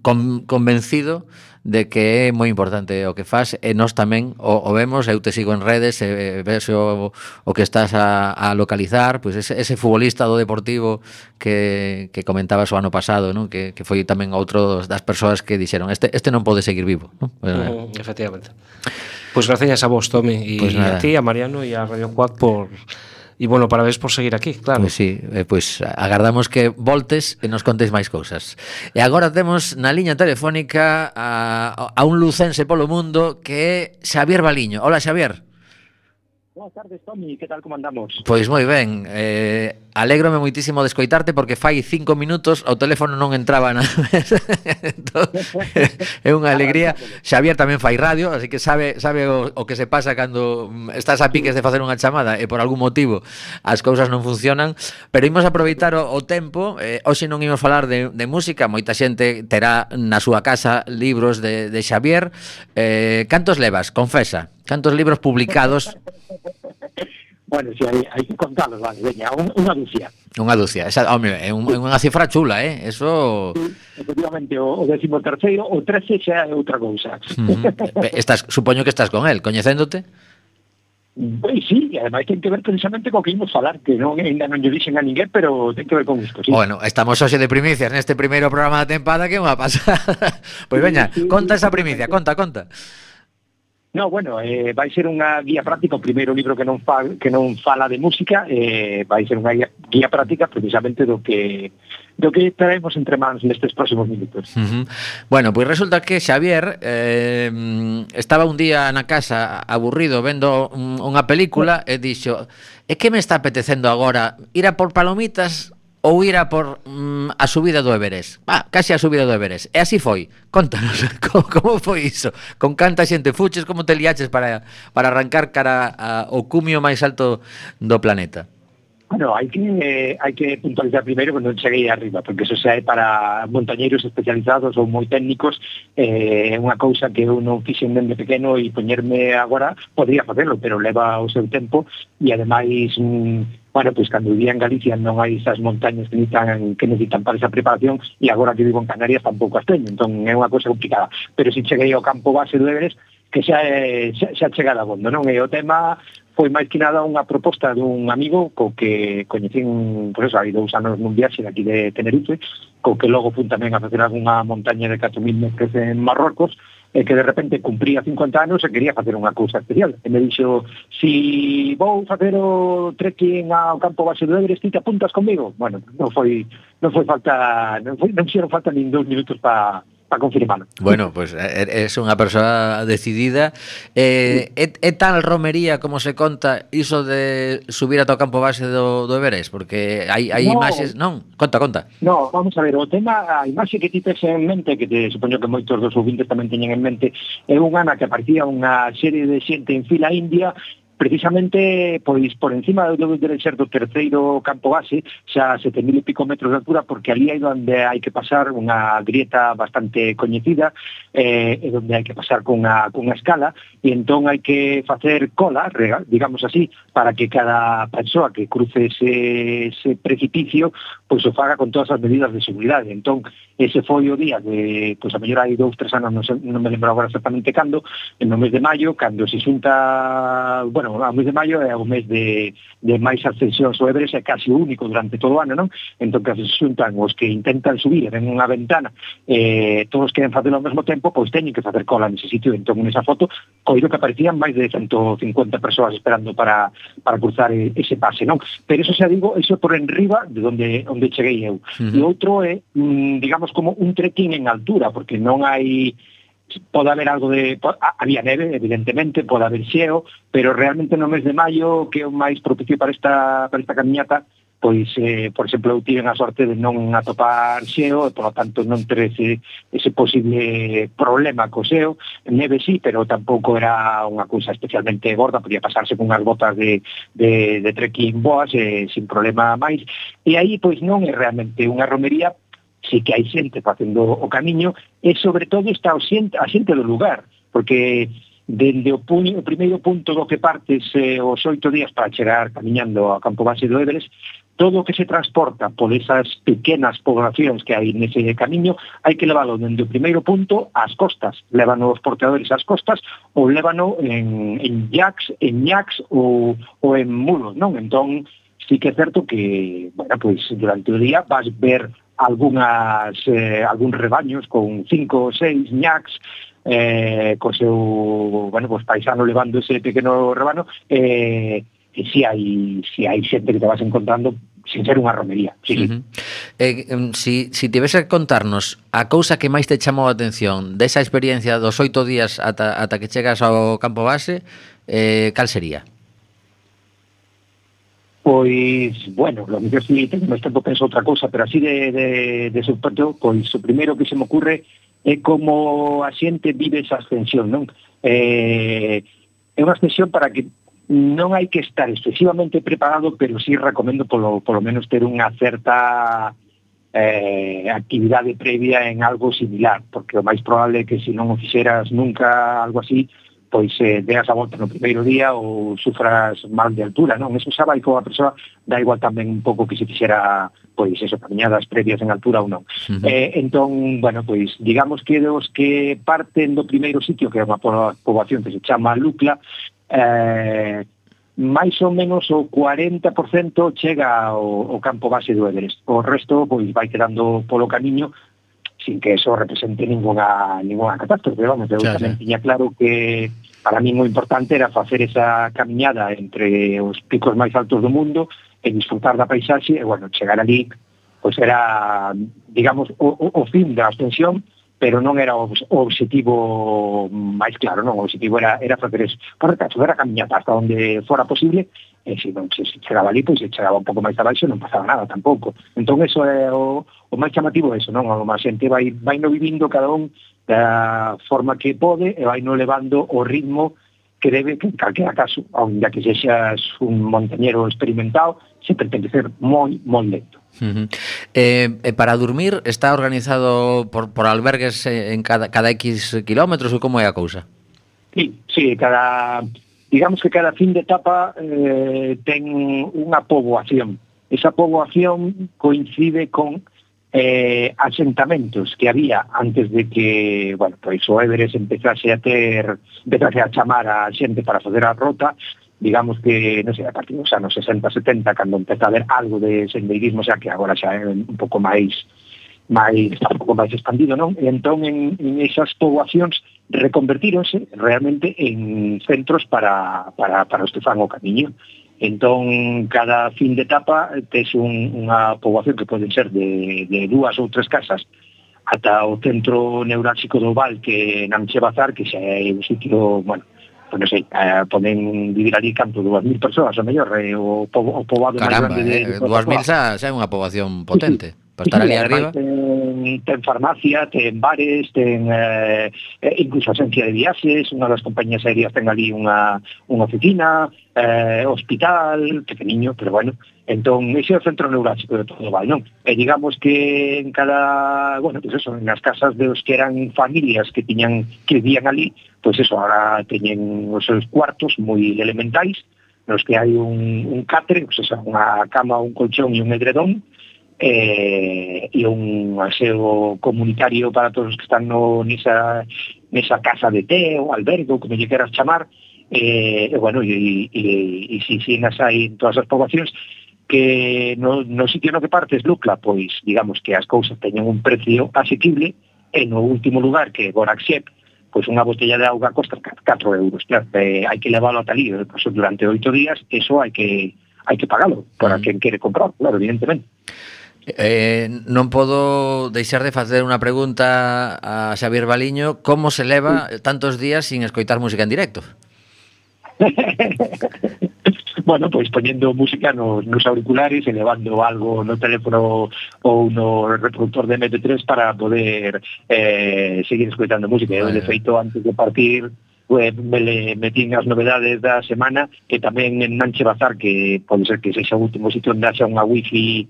convencido de que é moi importante o que faz, e nós tamén o vemos, eu te sigo en redes, ves o que estás a localizar, pois ese futbolista do Deportivo que comentabas o ano pasado, non? Que foi tamén outro das persoas que dixeron este non pode seguir vivo, non? Efectivamente. Pois gracias a vos, Tomi, e pues a ti, a Mariano e a Radio Quack por... E, bueno, parabéns por seguir aquí, claro. Pois sí, pois agardamos que voltes e nos contes máis cousas. E agora temos na liña telefónica a un lucense polo mundo que é Xavier Baliño. Hola, Xavier. Boas tardes, Tomi, que tal, como andamos? Pois moi ben, alégrome moitísimo de escoitarte porque fai 5 minutos o teléfono non entraba na mesa. Entón, é unha alegría. Xavier tamén fai radio, así que sabe o que se pasa cando estás a piques de facer unha chamada e por algún motivo as cousas non funcionan, pero imos aproveitar o tempo. Hoxe non imos falar de música, moita xente terá na súa casa libros de Xavier. Cantos levas? Confesa. Cantos libros publicados? Bueno, si hai que contalos, vale, veña, unha dúcia. Unha dúcia, esa, home, é unha cifra chula, eso... Sí, efectivamente, o 13º, o 13 xa é outra cousa. Supoño que estás con el, coñecéndote? Pois sí, e ademais ten que ver precisamente co que imos falar, que ainda non lle dixen a ninguén, pero ten que ver con isto, sí. Bueno, estamos hoxe de primicias neste primeiro programa da tempada, que é unha pasada. Pois veña, conta esa primicia, conta. No, bueno, vai ser unha guía práctica, o primeiro libro que non fala de música, vai ser unha guía práctica precisamente do que traemos entre mans nestes próximos minutos. Bueno, pois resulta que Xavier estaba un día na casa aburrido vendo unha película e dixo, é que me está apetecendo agora ir a por palomitas ou ir a por a subida do Everest. Casi a subida do Everest. E así foi. Contanos, como foi iso? Con canta xente fuches, como te liaches para arrancar cara ao cumio máis alto do planeta? Bueno, hai que puntualizar primeiro cando cheguei arriba, porque eso xa é para montañeiros especializados ou moi técnicos. É unha cousa que eu non fixen dende pequeno e poñerme agora, podría facelo, pero leva o seu tempo e ademais... Bueno, pois cando vivía en Galicia non hai esas montañas que necesitan para esa preparación e agora que vivo en Canarias tampouco as teño, entón é unha cousa complicada. Pero si cheguei ao campo base do Everest, que xa chega a abondo, non? E o tema foi máis que nada unha proposta dun amigo co que coñecín, pois eso, hai 2 anos nun viaxe daqui de Tenerife, co que logo fun tamén a facer algunha montaña de 4.000 metros en Marrocos, e que de repente cumpría 50 anos e quería facer unha cousa especial. E me dixo, si vou facer o trekking ao campo base do Everest, ti te apuntas comigo? Bueno, non fixeron falta nin 2 minutos para confirmarlo. Bueno, pues es unha persoa decidida. É tal romería como se conta iso de subir ata o campo base do Everest? Porque hai imaxes, non? Conta. No, vamos a ver, o tema, a imaxe que ti tes en mente, que te supoño que moitos dos ouvintes tamén teñen en mente, é unha na que aparecía unha serie de xente en fila india, precisamente pois por encima do ser do terceiro campo base, xa 7.000 e pico metros de altura, porque ali é onde hai que pasar unha grieta bastante coñecida, e onde hai que pasar cunha escala, e entón hai que facer cola, digamos así, para que cada persoa que cruce ese precipicio, pois o faga con todas as medidas de seguridade. Entón, ese foi o día de, pois a mellor hai 2-3 anos, non me lembro agora exactamente cando, no mes de maio, cando se xunta, bueno, o mes de maio é o mes de máis ascensións ao Everest, é casi o único durante todo o ano, non? Entón, que se xuntan os que intentan subir en unha ventana, todos queren facelo ao mesmo tempo, pois teñen que facer cola nese sitio. Entón, nesa foto, coido que aparecían máis de 150 persoas esperando para cruzar ese pase, non? Pero eso xa digo, eso por enriba de onde cheguei eu. E outro é, digamos, como un trekking en altura, porque non hai pode haber algo de... Había neve, evidentemente, pode haber xeo, pero realmente no mes de maio, que é o máis propicio para esta camiñata, pois, por exemplo, eu tive a sorte de non atopar xeo, e, por lo tanto, non ter ese posible problema co xeo. Neve sí, pero tampouco era unha cousa especialmente gorda, podía pasarse con unhas botas de trekking boas, sin problema máis. E aí, pois, non é realmente unha romería, sí que hai xente facendo o camiño, e sobre todo está a xente do lugar, porque dende o primeiro punto do que partes os 8 días para chegar camiñando ao campo base do Everest, todo o que se transporta por esas pequenas poblacións que hai nese camiño, hai que leválo dende o primeiro punto ás costas. Lévano os porteadores ás costas ou lévano en yaks, ou en mulos, non? Entón, sí que é certo que, bueno, pois durante o día vas ver algúns rebaños con 5 ou 6 ñacs, co seu, bueno, pues paisano levando ese pequeno rebano, e si hai xente que te vas encontrando sin ser unha romería. Sí, Si tivese que contarnos a cousa que máis te chamou a atención desa experiencia dos 8 días ata que chegas ao campo base, cal sería? Pois, bueno, lo mellor si tengo máis tempo penso outra cousa, pero así de subpato, pois o primeiro que se me ocurre é como a xente vive esa ascensión, non? É unha ascensión para que non hai que estar excesivamente preparado, pero sí recomendo polo menos ter unha certa actividade previa en algo similar, porque o máis probable é que se non o fixeras nunca algo así, pois deas a volta no primeiro día ou sufras mal de altura, non? Eso xa vai coa persoa, dá igual tamén un pouco que se fixera, pois, eso, caminhadas previas en altura ou non. Entón, bueno, pois, digamos que dos que parten do primeiro sitio, que é unha poboación que se chama Lukla, máis ou menos o 40% chega ao campo base do Everest. O resto, pois, vai quedando polo camiño, sin que eso represente ninguna catástrofe. Vamos, eu tamén tiña claro que para mí moi importante era facer esa camiñada entre os picos máis altos do mundo e disfrutar da paisaxe, e, bueno, chegar ali, pois era, digamos, o fin da ascensión, pero non era o objetivo máis claro, non? O objetivo era facer eso, facer a camiñata hasta onde fora posible, e se non se chegaba ali, pois se chegaba un pouco máis abaixo, non pasaba nada tampouco. Entón, eso é o máis chamativo, eso, non? A xente vai no vivindo cada un da forma que pode, e vai no levando o ritmo que debe, que en calquera caso, aunque que sexas un montañero experimentado, sempre ten que ser moi lento. Para dormir está organizado por albergues en cada X kilómetros, ou como é a cousa? Sí, digamos que cada fin de etapa ten unha poboación. Esa poboación coincide con asentamentos que había antes de que, bueno, pois o Everest empezase a chamar a xente para fazer a rota. Digamos que, non sei, a partir dos anos 60-70, cando empeza a haber algo de sendeirismo, xa que agora xa é un pouco máis está un pouco máis expandido, non? E entón, en esas poboacións reconvertíronse realmente en centros para os que fan o camiño. Entón, cada fin de etapa tes unha poboación que poden ser de 2 ou 3 casas ata o centro neurálxico do Val, que é Namche-Bazar, que xa é un sitio, bueno, non sei, poden vivir ali canto 2.000 persoas, o mellor, o poboado máis grande de 2.000 xa é unha poboación potente. Para estar ali arriba. Ten farmacia, ten bares, ten incluso agencia de viaxes, unha das compañías aéreas ten ali unha oficina, hospital, pequeniño, pero bueno. Entón, ese é o centro neurálxico de todo o Val, non? E digamos que en cada, bueno, pues eso, nas casas dos que eran familias que vivían ali, pues eso, ahora teñen os seus cuartos moi elementais, nos que hai un catre, pues eso, unha cama, un colchón e un edredón, e un aseo comunitario para todos os que están nesa casa de té ou albergue, ou como lle queras chamar, e bueno, e si nas hai en todas as poboacións, que no sitio no que partes Lukla, pois digamos que as cousas teñen un precio asequible, e no último lugar, que é Gorakshep, pois unha botella de auga costa 4 euros. Claro, hai que leválo ata ali, durante 8 días, eso hai que pagalo para quen quere comprar, claro, evidentemente. Non podo deixar de facer unha pregunta a Xavier Baliño. Como se leva tantos días sin escoitar música en directo? Bueno, pois poñendo música nos auriculares, elevando algo no teléfono ou no reproductor de MP3 para poder seguir escoitando música. Eu, de feito, antes de partir, me metín as novedades da semana, e tamén en Nanche Bazar, que pode ser que sexa o último sitio onde haxa unha wifi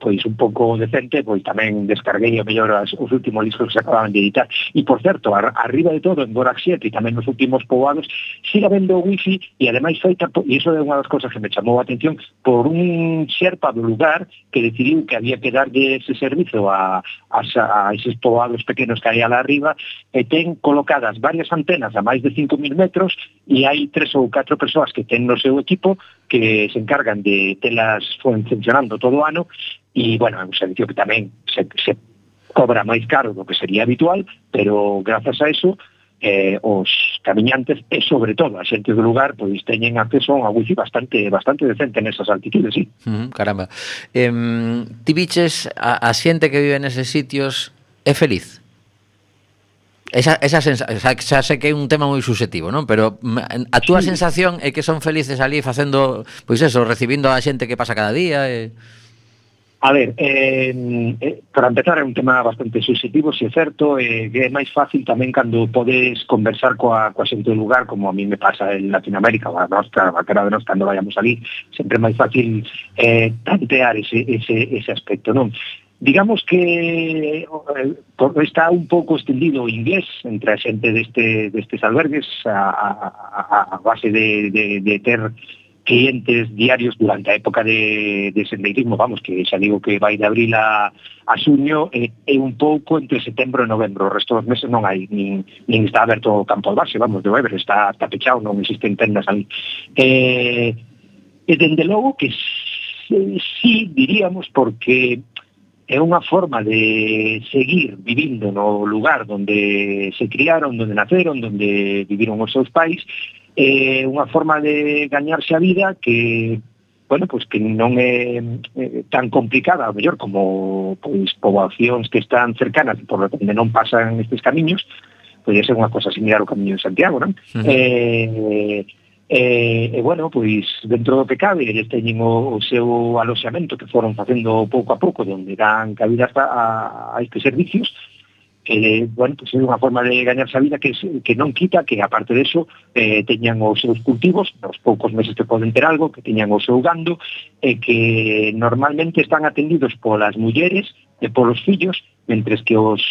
pois un pouco decente, pois tamén descarguei o mellor os últimos discos que se acababan de editar. E, por certo, arriba de todo, en Gorak 7 e tamén nos últimos poboados, siga vendo wifi, e ademais feita, e iso é unha das cosas que me chamou a atención, por un xerpa do lugar que decidiu que había que darlle ese servizo a eses poboados pequenos que hai alá arriba, e ten colocadas varias antenas a máis de 5.000 metros, e hai 3 ou 4 persoas que ten no seu equipo que se encargan de telas funcionando todo o ano, e, bueno, é un servicio que tamén se cobra máis caro do que sería habitual, pero grazas a eso os camiñantes e, sobre todo, a xente do lugar, pois teñen acceso a unha wifi bastante decente nesas altitudes, sí. Caramba. Ti biches a xente que vive neses sitios é feliz? Esa xa sei que é un tema moi subjetivo, non? Pero a túa sensación é que son felices ali facendo, pois eso, recibindo a xente que pasa cada día A ver, para empezar, é un tema bastante subjetivo, se é certo, que é máis fácil tamén cando podes conversar coa xente do lugar, como a mí me pasa en Latinoamérica, a cara de nós, cando vayamos ali, sempre é máis fácil tantear ese aspecto, non? Digamos que está un pouco extendido o inglés entre a xente destes albergues a base de ter clientes diarios durante a época de sendeirismo, vamos, que xa digo que vai de abril a xuño, e un pouco entre setembro e novembro. O resto dos meses non hai, nin está aberto o campo de base, vamos, de Weber, está pechado, non existen tendas ali. E dende logo que sí, diríamos, porque é unha forma de seguir vivindo no lugar onde se criaron, onde naceron, onde viviron os seus pais, unha forma de gañarse a vida que, bueno, pois que non é tan complicada, ao mellor, como pois poboacións que están cercanas por onde non pasan estes camiños. Podría ser unha cosa similar ao Camiño de Santiago, non? Bueno, pois dentro do que cabe, eles teñen o seu aloxamento que foron facendo pouco a pouco, onde dan cabida a estes servicios. Bueno, pois é unha forma de gañarse a vida que non quita que, aparte de eso, teñan os seus cultivos, nos poucos meses que poden ter algo, que teñan o seu gando, e que normalmente están atendidos polas mulleres e polos fillos, mentres que os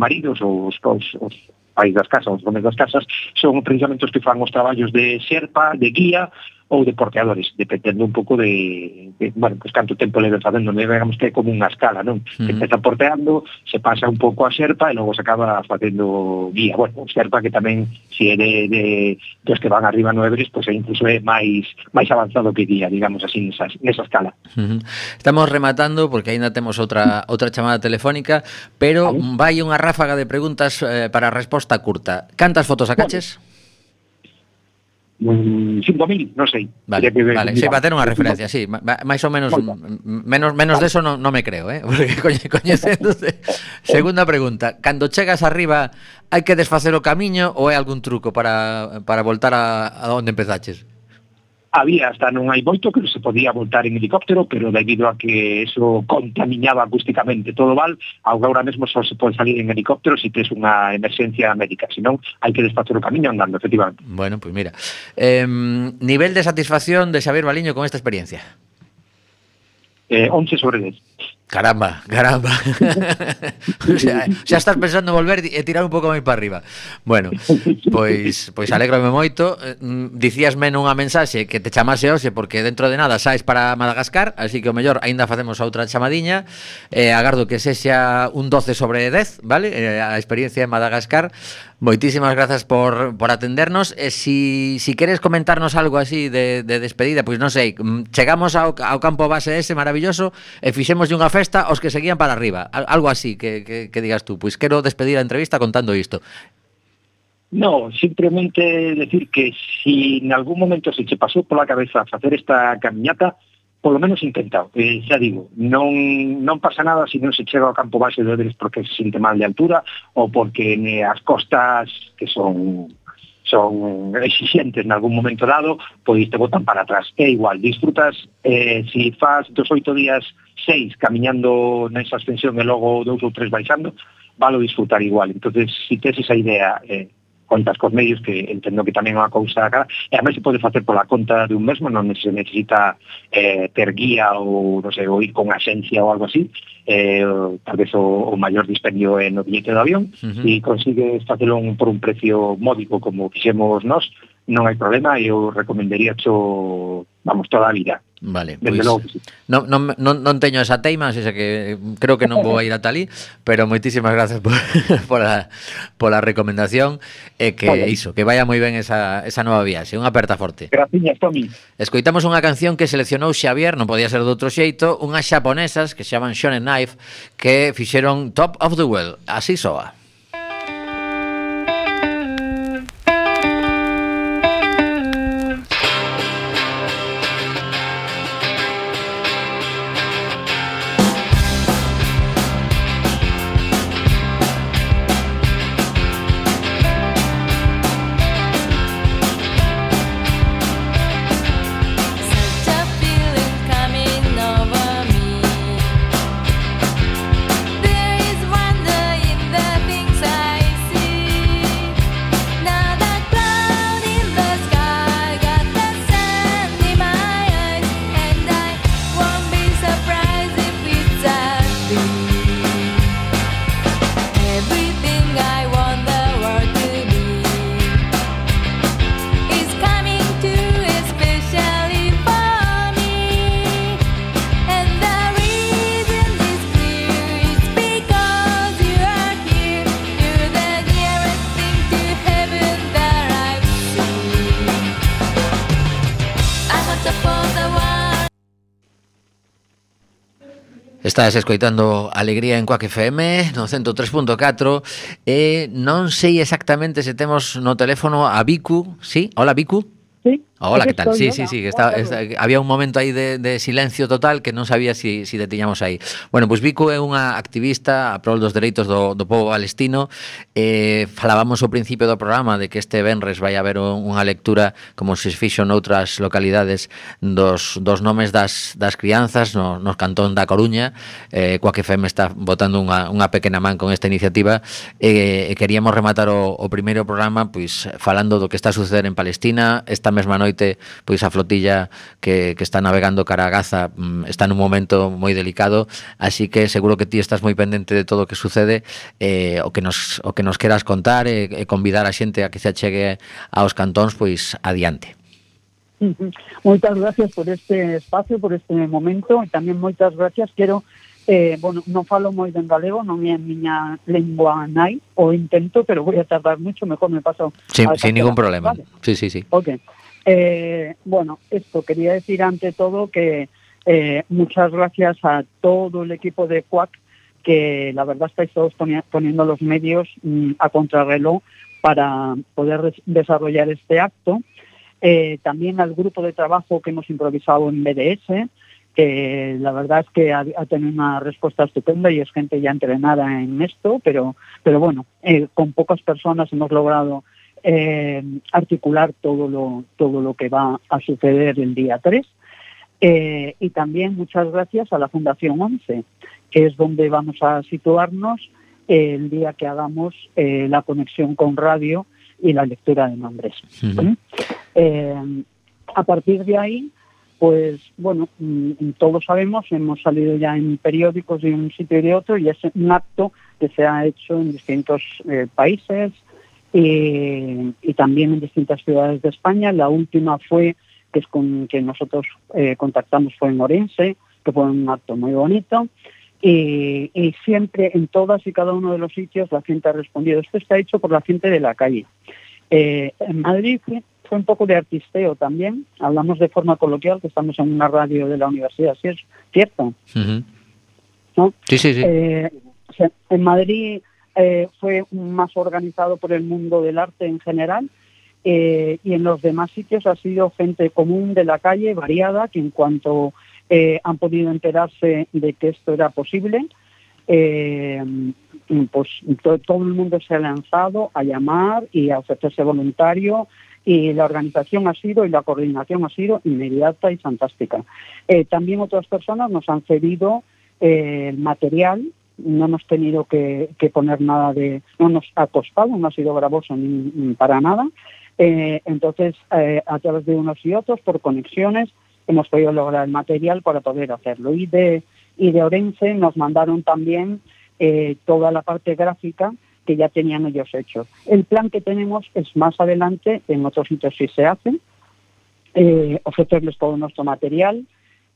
maridos ou os pais das casas, os domes das casas, son precisamente os que fan os traballos de xerpa, de guía ou de porteadores, dependendo un pouco de bueno, pues canto tempo leve facendo, digamos que é como unha escala, non? Se empeza porteando, se pasa un pouco a xerpa e logo se acaba facendo guía. Bueno, xerpa que tamén, se é de dos que van arriba no Everest, pues incluso é máis avanzado que guía, digamos así, nesa escala. Estamos rematando, porque ainda temos outra chamada telefónica, pero vai unha ráfaga de preguntas para a resposta curta. Cantas fotos sacaches? 5.000, non sei. Vale, sí, para ter unha referencia, sí, máis ou menos menos deso non me creo, porque coñecéndose. Segunda pregunta, cando chegas arriba, hai que desfacer o camiño ou hai algún truco para voltar a onde empezaches? Había, hasta non hai moito, que se podía voltar en helicóptero, pero debido a que eso contaminaba acústicamente todo Val, agora mesmo só se pode salir en helicóptero se tes unha emerxencia médica, senón hai que desfacer o camiño andando, efectivamente. Bueno, pues mira, nivel de satisfacción de Xavier Baliño con esta experiencia? 11 sobre 10. Caramba. O sea, xa estás pensando en volver e tirar un pouco máis para arriba. Bueno, pois alégrome moito. Dicíasme nunha mensaxe que te chamase hoxe porque dentro de nada saes para Madagascar, así que o mellor aínda facemos outra chamadiña. Agardo que sexa un 12 sobre 10, vale? A experiencia en Madagascar. Moitísimas grazas por atendernos. Si queres comentarnos algo así de despedida, pois non sei, chegamos ao campo base ese maravilloso e fixemos unha festa os que seguían para arriba, algo así que digas tú, pois quero despedir a entrevista contando isto. No, simplemente decir que si en algún momento se che pasou pola cabeza facer esta camiñata, polo menos intentado. Xa digo, non pasa nada se non se chega ao campo base de Everest porque se sinte mal de altura ou porque as costas que son exigentes en algún momento dado, pois te botan para atrás. É igual, disfrutas, si fas 2 8 días 6 camiñando nesa ascensión e logo 2 ou 3 baixando, valo disfrutar igual. Entonces, si tes esa idea, contas cos medios, que entendo que tamén é unha cousa cara, e a máis se pode facer pola conta de un mesmo, non se necesita ter guía ou, non sei, ou ir con axencia ou algo así, tal vez o maior dispendio é no billete de avión, e consigues facelo por un precio módico como fixemos nós, non hai problema, e eu recomendaría vamos, toda a vida. Vale, pois non teño esa teima, así que creo que non vou a ir ata ali, pero moitísimas gracias pola recomendación e que iso, que vaya moi ben esa nova viaxe. Unha aperta forte. Graciñas, Tomi. Escoitamos unha canción que seleccionou Xavier, non podía ser de outro xeito, unhas xaponesas que se chaman Shonen Knife, que fixeron Top of the World. Así soa. Estás escoitando Alegría en Quack FM no 103.4 e non sei exactamente se temos no teléfono a Vicu, ¿sí? Hola Vicu. Sí. Hola, ¿qué tal? Sí, que había un momento aí de silencio total que non sabía si te tiñamos aí. Bueno, pois Vicu é unha activista a prol dos dereitos do povo palestino. Falábamos ao principio do programa de que este venres vai haber unha lectura como se fixo noutras localidades dos nomes das crianzas nos cantón da Coruña. Quack FM está botando unha pequena man con esta iniciativa e queríamos rematar o primeiro programa pois falando do que está a suceder en Palestina. Esta mesma noite pois a flotilla que está navegando cara a Gaza está nun momento moi delicado, así que seguro que ti estás moi pendente de todo o que sucede, o que nos queras contar e convidar a xente a que se achegue aos cantóns pois adiante. Moitas gracias por este espacio, por este momento, e tamén moitas gracias. Quero non falo moi en galego, non é a miña lengua nai, o intento, pero voy a tardar mucho, mejor me paso. Sin ningún problema. ¿Vale? Sí. Ok. Esto quería decir ante todo que muchas gracias a todo el equipo de Quack, que la verdad estáis todos poniendo los medios a contrarreloj para poder desarrollar este acto. También al grupo de trabajo que hemos improvisado en BDS, que la verdad es que ha tenido una respuesta estupenda y es gente ya entrenada en esto, pero bueno, con pocas personas hemos logrado articular todo lo que va a suceder el día 3. Y también muchas gracias a la Fundación 11, que es donde vamos a situarnos el día que hagamos la conexión con radio y la lectura de nombres. A partir de ahí, pues bueno, todos sabemos, hemos salido ya en periódicos de un sitio y de otro, y es un acto que se ha hecho en distintos países y también en distintas ciudades de España. La última fue, que es con quien nosotros contactamos, fue en Orense, que fue un acto muy bonito. Y siempre en todas y cada uno de los sitios la gente ha respondido. Esto está hecho por la gente de la calle. En Madrid fue un poco de artisteo también. Hablamos de forma coloquial, que estamos en una radio de la universidad, ¿sí es cierto? ¿No? Sí. En Madrid fue más organizado por el mundo del arte en general, y en los demás sitios ha sido gente común de la calle, variada, que en cuanto han podido enterarse de que esto era posible. Pues todo el mundo se ha lanzado a llamar y a ofrecerse voluntario, y la organización ha sido y la coordinación ha sido inmediata y fantástica. También otras personas nos han cedido el material. No hemos tenido que poner nada no nos ha costado, no ha sido gravoso ni para nada. Entonces, a través de unos y otros, por conexiones, hemos podido lograr el material para poder hacerlo. Y de Orense nos mandaron también toda la parte gráfica que ya tenían ellos hecho. El plan que tenemos es más adelante, en otros sitios sí se hace, ofrecerles todo nuestro material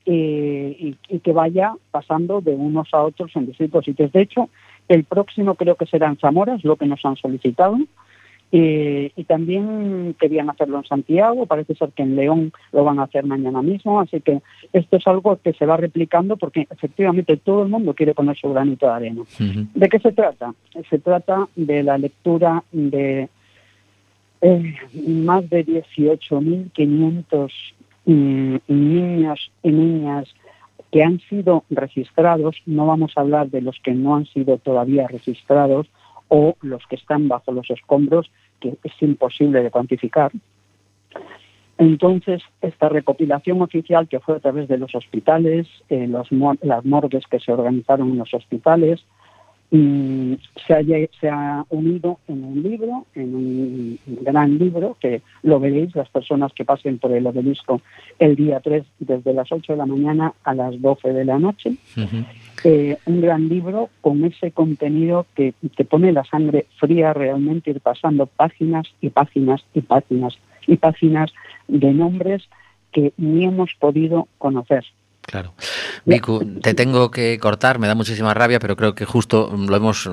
y que vaya pasando de unos a otros en distintos sitios. De hecho, el próximo creo que será en Zamora, es lo que nos han solicitado. Y también querían hacerlo en Santiago, parece ser que en León lo van a hacer mañana mismo, así que esto es algo que se va replicando porque efectivamente todo el mundo quiere poner su granito de arena. Uh-huh. ¿De qué se trata? Se trata de la lectura de más de 18.500 niños y niñas que han sido registrados. No vamos a hablar de los que no han sido todavía registrados o los que están bajo los escombros, que es imposible de cuantificar. Entonces, esta recopilación oficial que fue a través de los hospitales, las morgues que se organizaron en los hospitales, se ha unido en un libro, en un gran libro, que lo veréis las personas que pasen por el obelisco el día 3, desde las 8 de la mañana a las 12 de la noche. Uh-huh. Un gran libro con ese contenido que te pone la sangre fría realmente, ir pasando páginas y páginas y páginas y páginas de nombres que ni hemos podido conocer. Claro. Vicu, te tengo que cortar, me da muchísima rabia, pero creo que justo lo hemos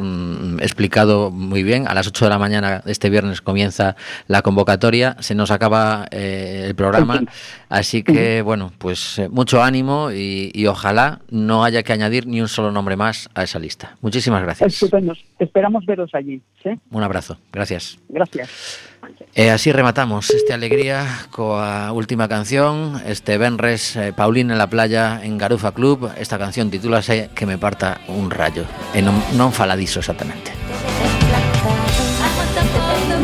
explicado muy bien. A las 8 de la mañana de este viernes comienza la convocatoria, se nos acaba el programa, así que bueno, pues mucho ánimo y ojalá no haya que añadir ni un solo nombre más a esa lista. Muchísimas gracias. Estupendo, esperamos veros allí. ¿Sí? Un abrazo, gracias. Gracias. Así rematamos esta alegría coa última canción, este venres Paulín en la playa en Garufa Club. Esta canción titúlase Que me parta un rayo e non faladizo exactamente.